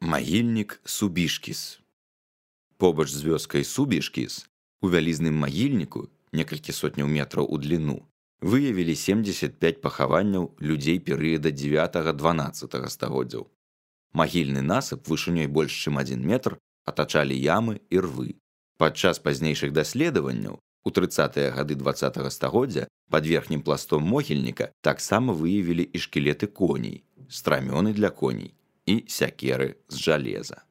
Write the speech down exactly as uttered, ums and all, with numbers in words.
Магільнік Субішкіс. Побач з вёскай Субішкіс у вялізным магільніку, некалькі сотняў метраў у дліну, выявілі семдзесят пяць пахаванняў людзей перыяда дзевятага-дванаццатага стагоддзяў. Магільны насып вышынёй больш чым адзін метр атачалі ямы і рвы. Падчас пазнейшых даследаванняў у трыццатыя гады дваццатага стагоддзя пад верхнім пластом могільніка таксама выявілі і шкілеты коней, страмёны для коней і сякеры з жалеза.